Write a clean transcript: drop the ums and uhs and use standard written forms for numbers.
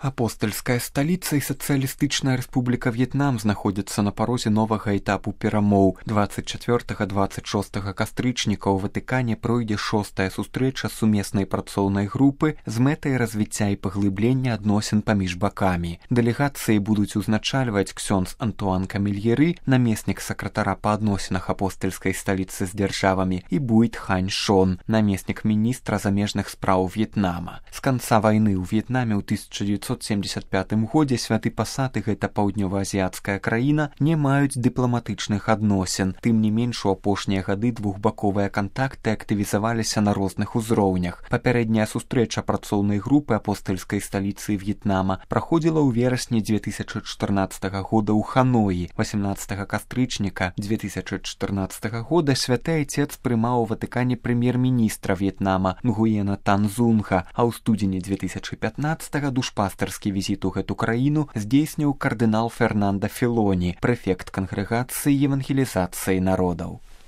Апостальская сталіца і Сацыялістычная Рэспубліка В'етнам знаходзяцца на парозе новага этапу перамоў. 24-26 кастрычніка ў Ватыкане пройдзе 6-я сустрэча сумеснай працоўнай групы з мэтай развіцця і паглыблення адносін паміж бакамі. Дэлегацыі будуць узначальваць ксёндз Антуан Камільеры, намеснік сакратара па адносінах апостальскай сталіцы з дзяржавамі, і Буйт Хань Шон, намеснік міністра замежных спраў В'етнама. З канца вайны ў В'етнаме ў 1975 годзе Святы Пасад і гэта паўднёва-азіяцкая краіна не маюць дыпламатычных адносін. Тым не менш, у апошнія гады двухбаковыя кантакты актывізаваліся на розных узроўнях. Папярэдняя сустрэча працоўнай групы апостальскай сталіцы В'етнама праходзіла ў верасні 2014 года ў Ханоі. 18 кастрычніка 2014 года Святы Айцец прымаў у Ватыкане прэм'ер-міністра В'етнама Нгуена Тан Зунга, а ў студзені 2015 душпастарскі візіт у гэту краіну здзейсніў кардынал Фернанда Філоні, прэфект кангрэгацыі евангелізацыі народаў.